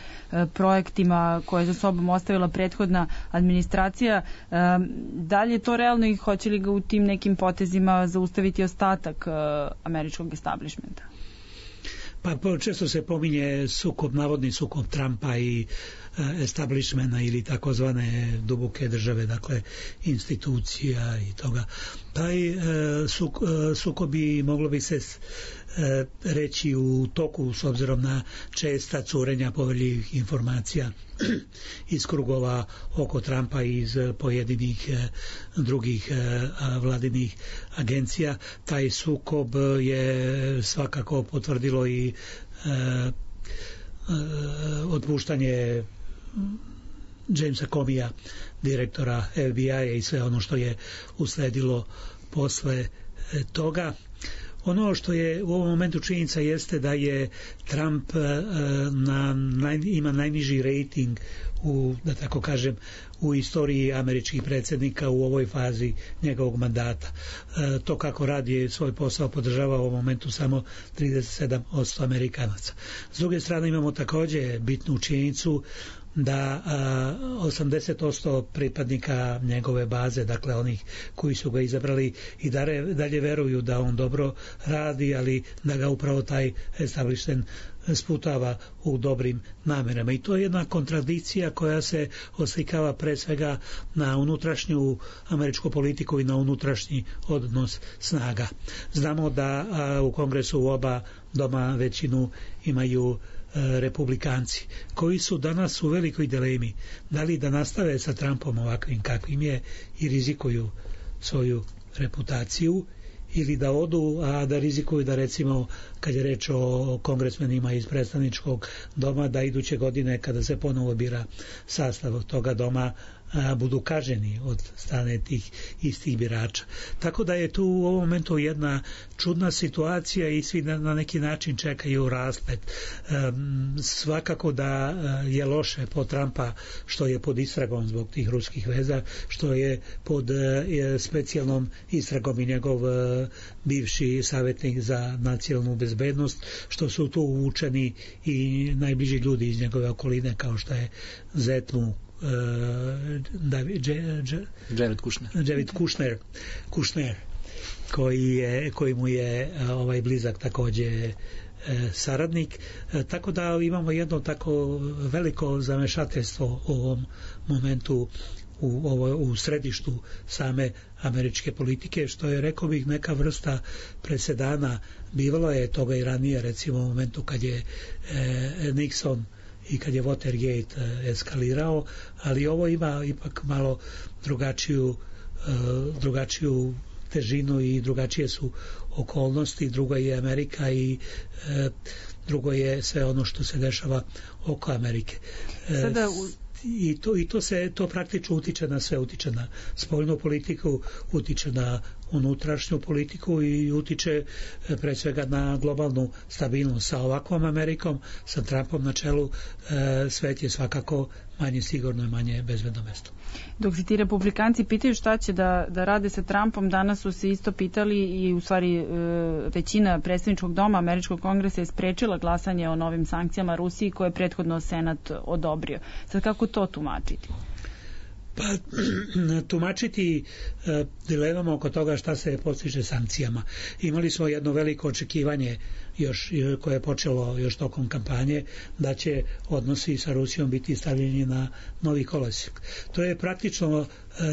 projektima koje za sobom ostavila prethodna administracija. Da li je to realno i hoće li ga u tim nekim potezima zaustaviti ostatak američkog establishmenta? Pa često se pominje navodni sukob Trumpa i establishmenta ili takozvane duboke države, dakle institucija i toga. Taj sukob bi moglo bi se reći u toku, s obzirom na česta curenja poverljivih informacija iz krugova oko Trumpa i iz pojedinih drugih vladinih agencija. Taj sukob je svakako potvrdilo i otpuštanje Jamesa Comeyja, direktora FBI-a, i sve ono što je usledilo posle toga. Ono što je u ovom momentu činjenica jeste da je Trump ima najniži rejting da tako kažem, u istoriji američkih predsjednika u ovoj fazi njegovog mandata. To kako radi svoj posao podržava u ovom momentu samo 37% Amerikanaca. S druge strane imamo također bitnu činjenicu da 80% pripadnika njegove baze, dakle onih koji su ga izabrali i dalje veruju da on dobro radi, ali da ga upravo taj establishment sputava u dobrim namerama. I to je jedna kontradikcija koja se oslikava pre svega na unutrašnju američku politiku i na unutrašnji odnos snaga. Znamo da u Kongresu u oba doma većinu imaju republikanci, koji su danas u velikoj dilemi da li da nastave sa Trumpom ovakvim kakvim je i rizikuju svoju reputaciju ili da odu, a da rizikuju da recimo kad je reč o kongresmenima iz predstavničkog doma da iduće godine kada se ponovo bira sastav toga doma budu kaženi od strane tih istih birača. Tako da je tu u ovom momentu jedna čudna situacija i svi na neki način čekaju rasplet. Svakako da je loše po Trumpa što je pod istragom zbog tih ruskih veza, što je pod specijalnom istragom i njegov bivši savjetnik za nacionalnu bezbednost, što su tu uvučeni i najbliži ljudi iz njegove okoline kao što je zet mu Jared Kushner koji mu je blizak također saradnik, tako da imamo jedno tako veliko zamešateljstvo u ovom momentu u središtu same američke politike, što je, rekao bih, neka vrsta presedana. Bivalo je toga i ranije, recimo u momentu kad je Nixon i kad je Watergate eskalirao, ali ovo ima ipak malo drugačiju težinu i drugačije su okolnosti. Drugo je Amerika i drugo je sve ono što se dešava oko Amerike. To praktično utiče na sve, utiče na spoljnu politiku, utiče na unutrašnju politiku i utiče pre svega na globalnu stabilnost. Sa ovakvom Amerikom, sa Trumpom na čelu, svet je svakako manje sigurno i manje bezbedno mesto. Dok se ti republikanci pitaju šta će da rade sa Trumpom, danas su se isto pitali i u stvari većina predstavničkog doma američkog kongresa je sprečila glasanje o novim sankcijama Rusiji koje je prethodno Senat odobrio. Sad kako to tumačiti? Pa tumačiti dilemamo oko toga šta se postiže sankcijama. Imali smo jedno veliko očekivanje koje je počelo još tokom kampanje da će odnosi sa Rusijom biti stavljeni na novi kolosijek. To je praktično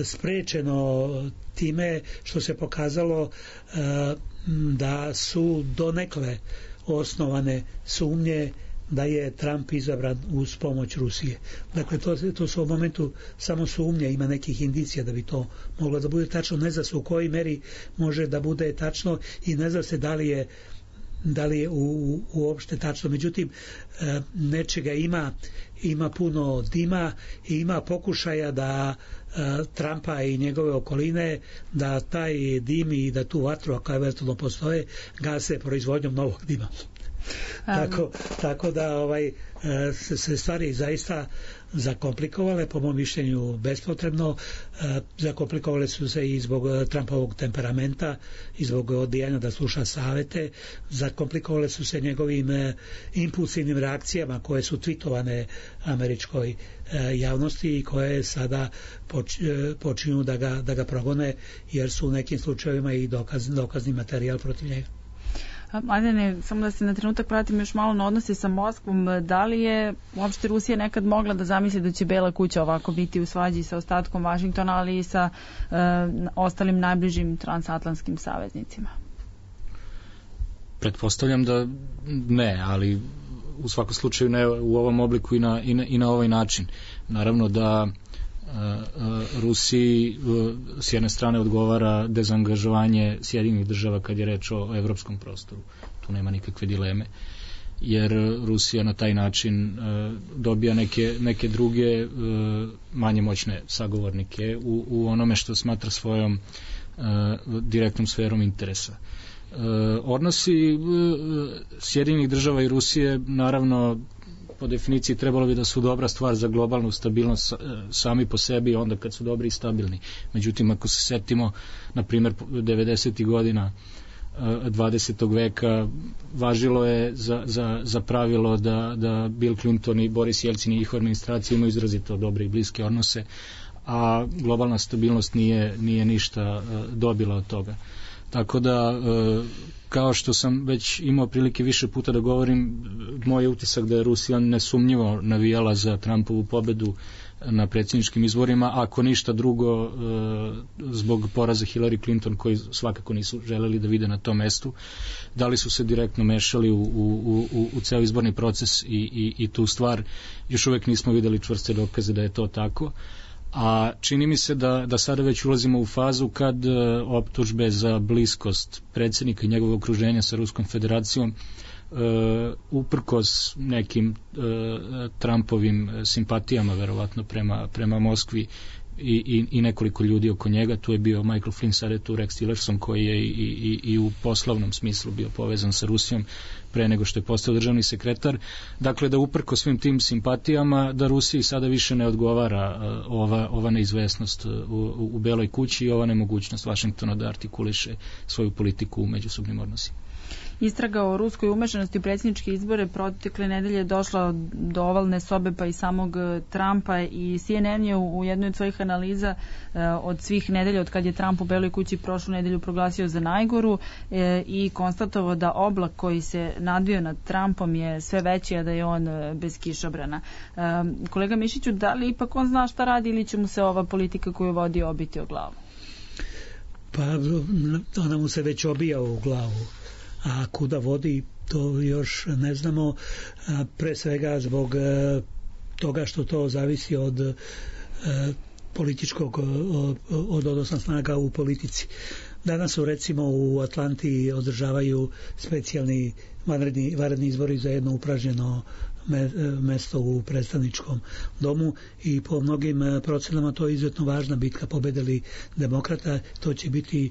sprečeno time što se pokazalo da su donekle osnovane sumnje da je Trump izabran uz pomoć Rusije. Dakle, to su u momentu samo sumnje, ima nekih indicija da bi to moglo da bude tačno, ne zna se u kojoj meri može da bude tačno i ne zna se da li je uopšte tačno. Međutim, nečega ima puno dima i ima pokušaja da Trumpa i njegove okoline da taj dim i da tu vatru, ako eventualno postoje, gase proizvodnjom novog dima. Tako da se stvari zaista zakomplikovale, po mom mišljenju bespotrebno. Zakomplikovale su se i zbog Trumpovog temperamenta i zbog odbijanja da sluša savete. Zakomplikovale su se njegovim impulsivnim reakcijama koje su twitovane američkoj javnosti i koje sada počinju da ga progone, jer su u nekim slučajevima i dokazni materijal protiv njega. Mladene, samo da se na trenutak vratim još malo na odnose sa Moskvom. Da li je uopšte Rusija nekad mogla da zamisli da će Bela kuća ovako biti u svađi sa ostatkom Vašingtona, ali i sa ostalim najbližim transatlantskim saveznicima? Pretpostavljam da ne, ali u svakom slučaju ne u ovom obliku i na ovaj način. Naravno da Rusiji s jedne strane odgovara dezangažovanje Sjedinjenih država kad je reč o evropskom prostoru. Tu nema nikakve dileme, jer Rusija na taj način dobija neke druge manje moćne sagovornike u onome što smatra svojom direktnom sferom interesa. Odnosi Sjedinjenih država i Rusije, naravno, po definiciji trebalo bi da su dobra stvar za globalnu stabilnost sami po sebi, onda kad su dobri i stabilni. Međutim, ako se setimo, na primjer, 90. godina 20. veka, važilo je za pravilo da Bill Clinton i Boris Jelcin i njihova administracija imaju izrazito dobre i bliske odnose, a globalna stabilnost nije ništa dobila od toga. Tako da, kao što sam već imao prilike više puta da govorim, moj je utisak da je Rusija nesumnjivo navijala za Trumpovu pobedu na predsjedničkim izborima, ako ništa drugo zbog poraza Hillary Clinton, koji svakako nisu želeli da vide na tom mestu. Da li su se direktno mešali u ceo izborni proces i tu stvar, još uvek nismo videli čvrste dokaze da je to tako. A čini mi se da sada već ulazimo u fazu kad optužbe za bliskost predsjednika i njegovog okruženja sa Ruskom federacijom, uprkos nekim Trumpovim simpatijama verovatno prema Moskvi i nekoliko ljudi oko njega, tu je bio Michael Flynn, sad je tu Rex Tillerson koji je i u poslovnom smislu bio povezan sa Rusijom pre nego što je postao državni sekretar. Dakle, da uprko svim tim simpatijama, da Rusiji sada više ne odgovara ova neizvesnost u Beloj kući i ova nemogućnost Vašingtona da artikuliše svoju politiku u međusobnim odnosima. Istraga o ruskoj umešanosti u predsjedničke izbore protekle nedelje došla do ovalne sobe pa i samog Trumpa, i CNN je u jednoj od svojih analiza od svih nedelja od kad je Trump u Beloj kući prošlu nedelju proglasio za najgoru i konstatovao da oblak koji se nadvio nad Trumpom je sve veći, a da je on bez kišobrana. Kolega Mišiću, da li ipak on zna šta radi ili će mu se ova politika koju vodi obiti o glavu? Pa ona mu se već obija u glavu. A kuda vodi, to još ne znamo, pre svega zbog toga što to zavisi od političkog, od odnosa snaga u politici. Danas su recimo u Atlanti održavaju specijalni vanredni izbori za jedno upražnjeno mesto u predstavničkom domu i po mnogim procenama to je izuzetno važna bitka. Pobede li demokrata, to će biti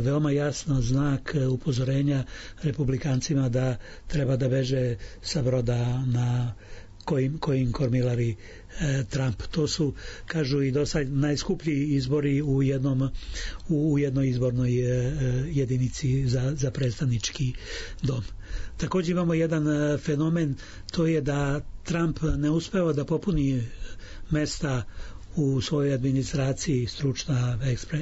veoma jasno znak upozorenja republikancima da treba da beže sa broda na kojim kormilari Trump. To su, kažu i dosad, najskuplji izbori u jednoj izbornoj jedinici za predstavnički dom. Također imamo jedan fenomen, to je da Trump ne uspeva da popuni mesta u svojoj administraciji, stručna,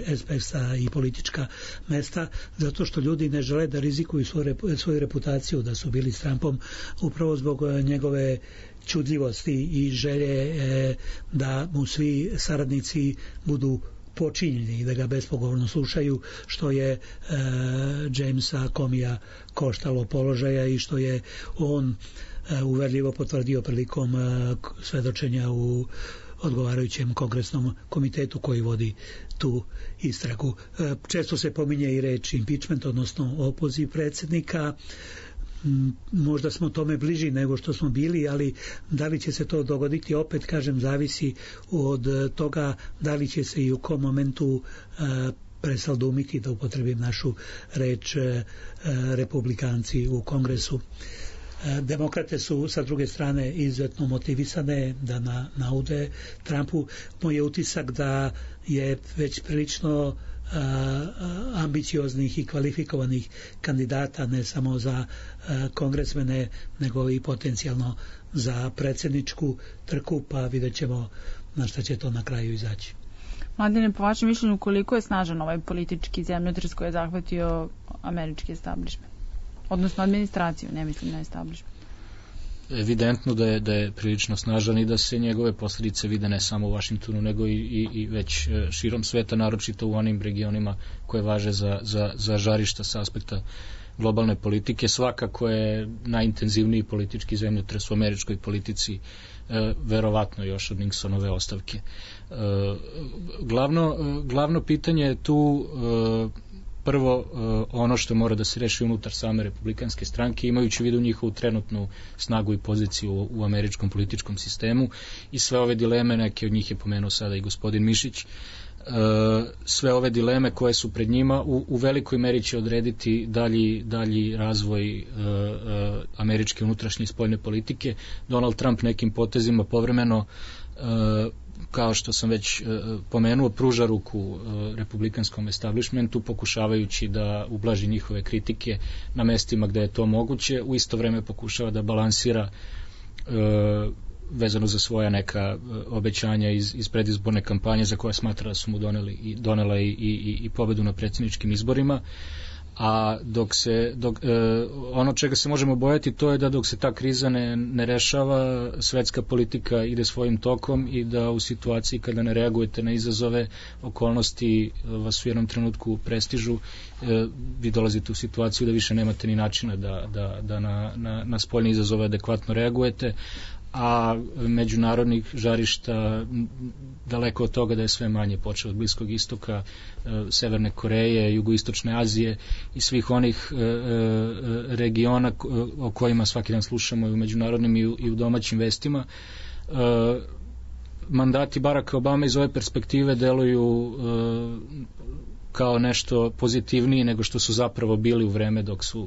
ekspertska i politička mesta, zato što ljudi ne žele da rizikuju svoju reputaciju da su bili s Trumpom, upravo zbog njegove čudljivosti i želje da mu svi saradnici budu počinjeni i da ga bespogovorno slušaju, što je Jamesa Comeyja koštalo položaja i što je on uverljivo potvrdio prilikom svedočenja u odgovarajućem kongresnom komitetu koji vodi tu istragu. Često se pominje i reč impeachment, odnosno opoziv predsjednika. Možda smo tome bliži nego što smo bili, ali da li će se to dogoditi, opet kažem, zavisi od toga da li će se i u kom momentu presaldumiti, da upotrebim našu reč, republikanci u kongresu. Demokrate su sa druge strane izuzetno motivisane da naude Trumpu. Moj je utisak da je već prilično ambicioznih i kvalifikovanih kandidata, ne samo za kongresmene, nego i potencijalno za predsjedničku trku, pa vidjet ćemo na šta će to na kraju izaći. Mladine, po vašem mišljenju, koliko je snažan ovaj politički zemljotres koji je zahvatio američki establishment? Odnosno administraciju, ne mislim na establishment. Evidentno da je prilično snažan i da se njegove posljedice vide ne samo u Vašingtonu, nego i već širom sveta, naročito u onim regionima koje važe za žarišta sa aspekta globalne politike. Svakako je najintenzivniji politički zemljotres u američkoj politici, verovatno još od Nixonove ostavke. Glavno pitanje je tu prvo ono što mora da se reši unutar same republikanske stranke, imajući u vidu njihovu trenutnu snagu i poziciju u američkom političkom sistemu i sve ove dileme, neke od njih je pomenuo sada i gospodin Mišić. sve ove dileme koje su pred njima u velikoj meri će odrediti dalji razvoj američke unutrašnje i spoljne politike. Donald Trump nekim potezima povremeno, kao što sam već pomenuo, pruža ruku republikanskom establishmentu, pokušavajući da ublaži njihove kritike na mestima gde je to moguće. U isto vreme pokušava da balansira vezano za svoja neka obećanja iz predizborne kampanje za koje smatra da su mu donela i pobedu na predsjedničkim izborima. A ono čega se možemo bojati, to je da dok se ta kriza ne rešava, svetska politika ide svojim tokom i da u situaciji kada ne reagujete na izazove, okolnosti vas u jednom trenutku prestižu, vi dolazite u situaciju da više nemate ni načina da na spoljne izazove adekvatno reagujete, a međunarodnih žarišta daleko od toga da je sve manje, počeo od Bliskog istoka, Severne Koreje, Jugoistočne Azije i svih onih regiona o kojima svaki dan slušamo i u međunarodnim i u domaćim vestima. Mandati Baracka Obame iz ove perspektive deluju kao nešto pozitivniji nego što su zapravo bili u vreme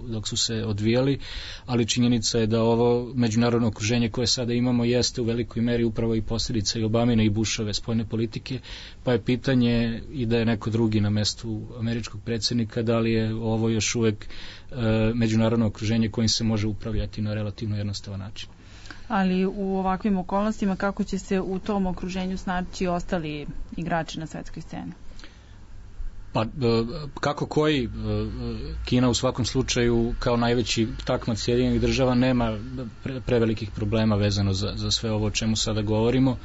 dok su se odvijali, ali činjenica je da ovo međunarodno okruženje koje sada imamo jeste u velikoj meri upravo i posljedica i Obamine i Bushove spoljne politike, pa je pitanje i da je neko drugi na mestu američkog predsjednika, da li je ovo još uvek međunarodno okruženje kojim se može upravljati na relativno jednostavan način. Ali u ovakvim okolnostima kako će se u tom okruženju snaći ostali igrači na svetskoj sceni? Pa kako koji, Kina u svakom slučaju kao najveći takmac Sjedinjenih država nema prevelikih problema vezano za sve ovo o čemu sada govorimo,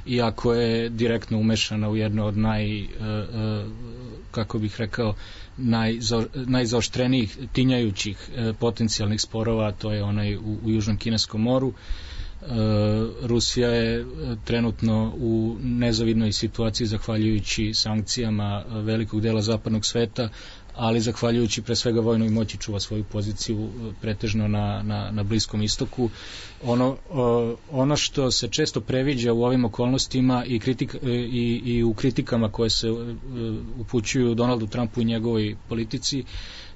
iako je direktno umešana u jedno od kako bih rekao, najzaoštrenijih tinjajućih potencijalnih sporova, to je onaj u Južnom Kineskom moru. Rusija je trenutno u nezavidnoj situaciji zahvaljujući sankcijama velikog dela zapadnog sveta, ali zahvaljujući pre svega vojnoj moći čuva svoju poziciju pretežno na Bliskom istoku. Ono što se često previđa u ovim okolnostima i u kritikama koje se upućuju Donaldu Trumpu i njegovoj politici,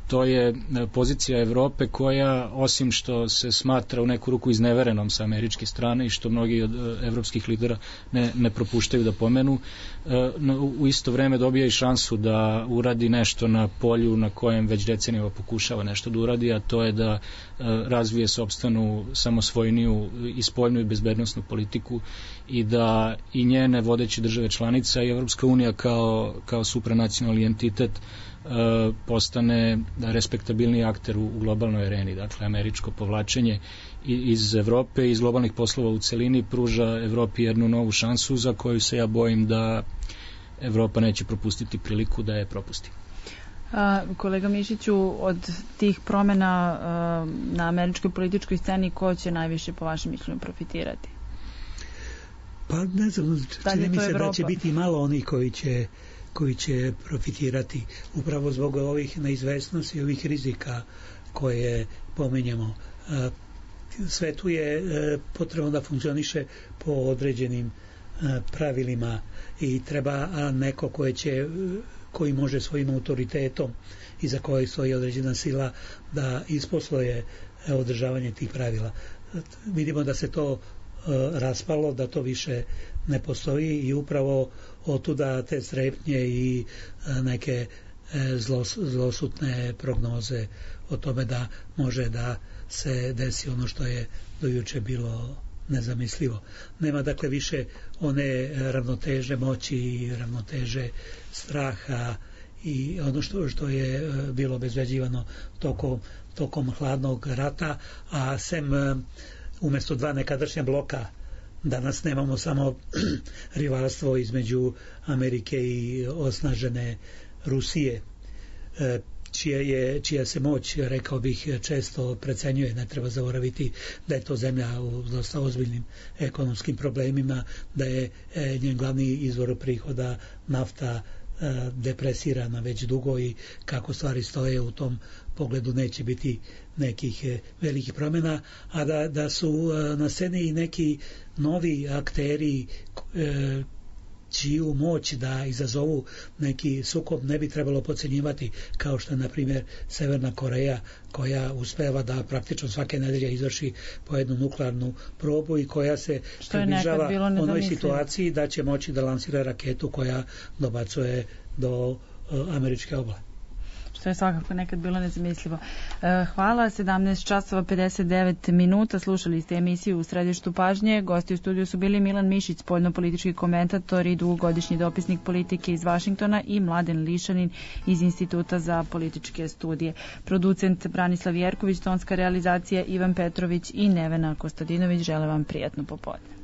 to je pozicija Evrope koja, osim što se smatra u neku ruku izneverenom sa američke strane i što mnogi od evropskih lidera ne propuštaju da pomenu, u isto vreme dobija i šansu da uradi nešto na polju na kojem već decenijama pokušava nešto da uradi, a to je da razvije sopstvenu samosvojniju i spoljnu i bezbednosnu politiku i da i njene vodeće države članica i Evropska unija kao supranacionalni entitet postane respektabilni akter u globalnoj areni. Dakle, američko povlačenje iz Evrope i iz globalnih poslova u celini pruža Evropi jednu novu šansu za koju se ja bojim da Evropa neće propustiti priliku da je propusti. Kolega Mišiću, od tih promjena na američkoj političkoj sceni ko će najviše po vašem mišljenju profitirati? Pa ne znam, čini mi se da će biti malo onih koji će profitirati upravo zbog ovih neizvesnosti i ovih rizika koje pomenjamo. Svetu je potrebno da funkcioniše po određenim pravilima i treba neko koji može svojim autoritetom i za koje stoji određena sila da isposluje održavanje tih pravila. Vidimo da se to raspalo, da to više ne postoji i upravo otuda te strepnje i neke zlosutne prognoze o tome da može da se desi ono što je do juče bilo nezamislivo. Nema dakle više one ravnoteže moći i ravnoteže straha i ono što je bilo obezbeđivano tokom hladnog rata, a sem umjesto dva nekadašnja bloka danas nemamo samo rivalstvo između Amerike i osnažene Rusije, čija se moć, rekao bih, često precenjuje. Ne treba zaboraviti da je to zemlja u dosta ozbiljnim ekonomskim problemima, da je njen glavni izvor prihoda nafta depresirana već dugo i kako stvari stoje u tom pogledu neće biti nekih velikih promjena, a da su na sceni i neki novi akteri čiju moć da izazovu neki sukob ne bi trebalo podcenjivati, kao što je na primjer Severna Koreja, koja uspeva da praktično svake nedelje izvrši po jednu nuklearnu probu i koja se približava onoj situaciji da će moći da lansira raketu koja dobacuje do američke obale. Što je svakako nekad bilo nezamislivo. Hvala, 17 časova 59 minuta, slušali ste emisiju U središtu pažnje. Gosti u studiju su bili Milan Mišić, spoljnopolitički komentator i dugogodišnji dopisnik politike iz Vašingtona, i Mladen Lišanin iz Instituta za političke studije. Producent Branislav Jerković, tonska realizacija Ivan Petrović i Nevena Kostadinović. Žele vam prijatno popodne.